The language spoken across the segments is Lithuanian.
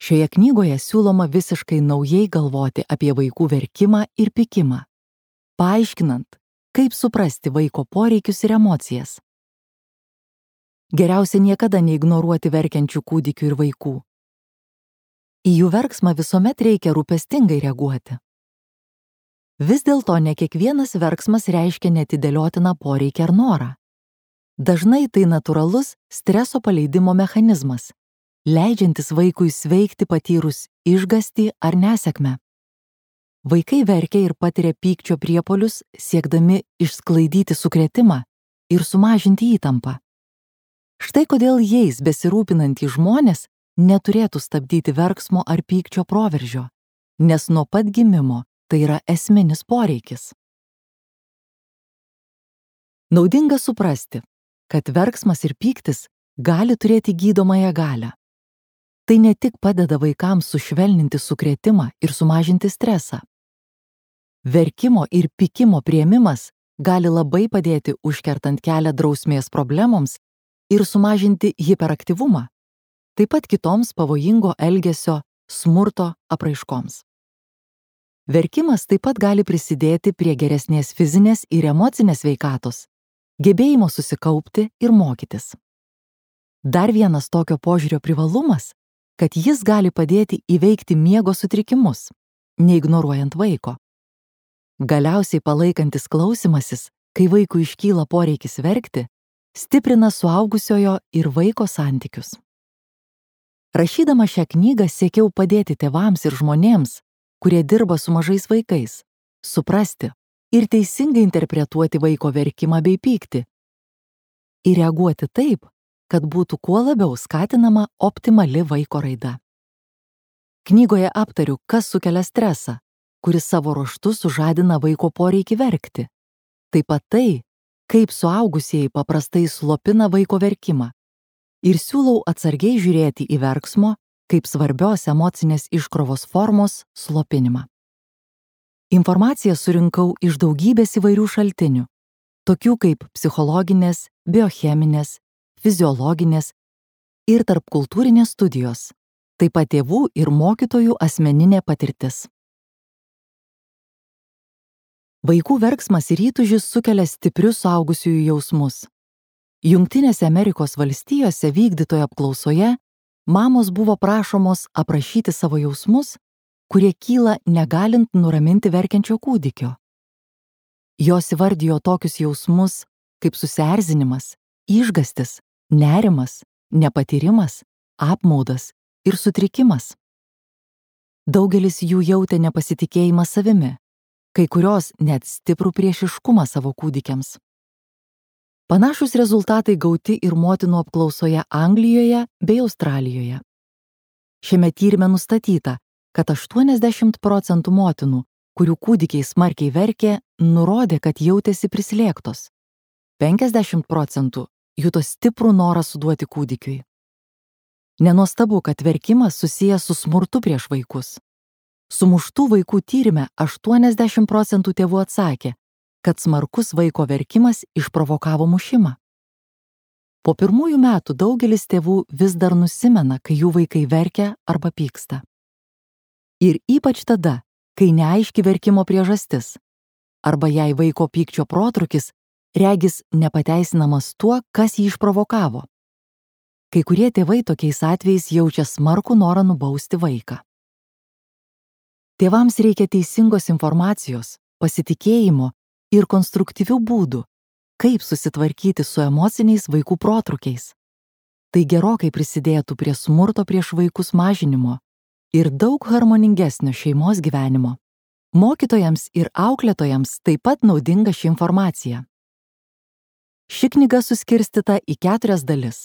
Šioje knygoje siūloma visiškai naujai galvoti apie vaikų verkimą ir pykimą, paaiškinant, kaip suprasti vaiko poreikius ir emocijas. Geriausia niekada neignoruoti verkiančių kūdikių ir vaikų. Į jų verksmą visuomet reikia rūpestingai reaguoti. Vis dėlto ne kiekvienas verksmas reiškia neatidėliotiną poreikį ar norą. Dažnai tai natūralus streso paleidimo mechanizmas, leidžiantis vaikui sveikti patyrus išgąstį ar nesėkmę. Vaikai verkia ir patiria pykčio priepuolius, siekdami išsklaidyti sukrėtimą ir sumažinti įtampą. Štai kodėl jais besirūpinantys žmonės neturėtų stabdyti verksmo ar pykčio proveržio, nes nuo pat gimimo tai yra esminis poreikis. Naudinga suprasti, kad verksmas ir pyktis gali turėti gydomąją galią. Tai ne tik padeda vaikams sušvelninti sukrėtimą ir sumažinti stresą. Verkimo ir pykimo priėmimas gali labai padėti užkertant kelią drausmės problemoms ir sumažinti hiperaktyvumą, taip pat kitoms pavojingo elgesio, smurto apraiškoms. Verkimas taip pat gali prisidėti prie geresnės fizinės ir emocinės sveikatos, gebėjimo susikaupti ir mokytis. Dar vienas tokio požiūrio privalumas, kad jis gali padėti įveikti miego sutrikimus, neignoruojant vaiko. Galiausiai palaikantis klausymasis, kai vaikui iškyla poreikis verkti, stiprina suaugusiojo ir vaiko santykius. Rašydama šią knygą siekiau padėti tėvams ir žmonėms, kurie dirba su mažais vaikais, suprasti ir teisingai interpretuoti vaiko verkimą bei pyktį ir reaguoti taip, kad būtų kuo labiau skatinama optimali vaiko raida. Knygoje aptariu, kas sukelia stresą, kuris savo ruožtu sužadina vaiko poreikį verkti. Taip pat tai, kaip suaugusieji paprastai slopina vaiko verkimą ir siūlau atsargiai žiūrėti į verksmo kaip svarbios emocinės iškrovos formos slopinimą. Informaciją surinkau iš daugybės įvairių šaltinių, tokių kaip psichologinės, biocheminės, fiziologinės ir tarpkultūrinės studijos, taip pat tėvų ir mokytojų asmeninė patirtis. Vaikų verksmas ir įtūžis sukelia stiprius suaugusiųjų jausmus. Jungtinėse Amerikos valstijose vykdytoje apklausoje mamos buvo prašomos aprašyti savo jausmus, kurie kyla negalint nuraminti verkiančio kūdikio. Jos įvardijo tokius jausmus kaip susierzinimas, išgąstis, nerimas, nepatyrimas, apmaudas ir sutrikimas. Daugelis jų jautė nepasitikėjimą savimi, kai kurios net stiprų priešiškumą savo kūdikiams. Panašūs rezultatai gauti ir motinų apklausoje Anglijoje bei Australijoje. Šiame tyrime nustatyta, kad 80% motinų, kurių kūdikiai smarkiai verkė, nurodė, kad jautėsi prislėgtos. 50% juto stiprų norą suduoti kūdikiui. Nenuostabu, kad verkimas susijęs su smurtu prieš vaikus. Sumuštų vaikų tyrime 80% tėvų atsakė, kad smarkus vaiko verkimas išprovokavo mušimą. Po pirmųjų metų daugelis tėvų vis dar nusimena, kai jų vaikai verkia arba pyksta. Ir ypač tada, kai neaiški verkimo priežastis, arba jei vaiko pykčio protrūkis regis nepateisinamas tuo, kas jį išprovokavo. Kai kurie tėvai tokiais atvejais jaučia smarkų norą nubausti vaiką. Tėvams reikia teisingos informacijos, pasitikėjimo ir konstruktyvių būdų, kaip susitvarkyti su emociniais vaikų protrūkiais. Tai gerokai prisidėtų prie smurto prieš vaikus mažinimo ir daug harmoningesnio šeimos gyvenimo. Mokytojams ir auklėtojams taip pat naudinga ši informacija. Ši knyga suskirstyta į 4 dalis.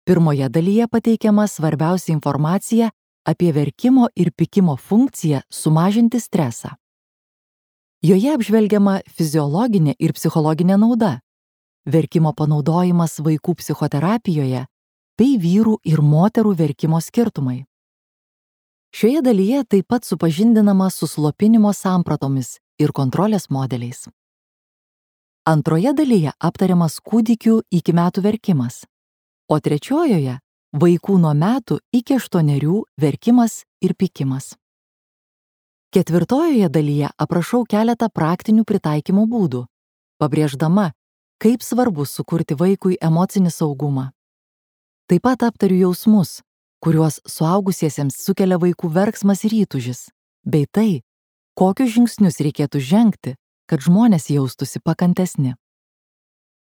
Pirmoje dalyje pateikiama svarbiausia informacija apie verkimo ir pykimo funkciją sumažinti stresą. Joje apžvelgiama fiziologinė ir psichologinė nauda, verkimo panaudojimas vaikų psichoterapijoje bei vyrų ir moterų verkimo skirtumai. Šioje dalyje taip pat supažindinama su slopinimo sampratomis ir kontrolės modeliais. Antroje dalyje aptariamas kūdikių iki metų verkimas, o trečiojoje Vaikų nuo metų iki 8 verkimas ir pykimas. 4 dalyje aprašau keletą praktinių pritaikymo būdų, pabrėždama, kaip svarbu sukurti vaikui emocinį saugumą. Taip pat aptariu jausmus, kuriuos suaugusiesiems sukelia vaikų verksmas ir įtūžis, bei tai, kokius žingsnius reikėtų žengti, kad žmonės jaustųsi pakantesni.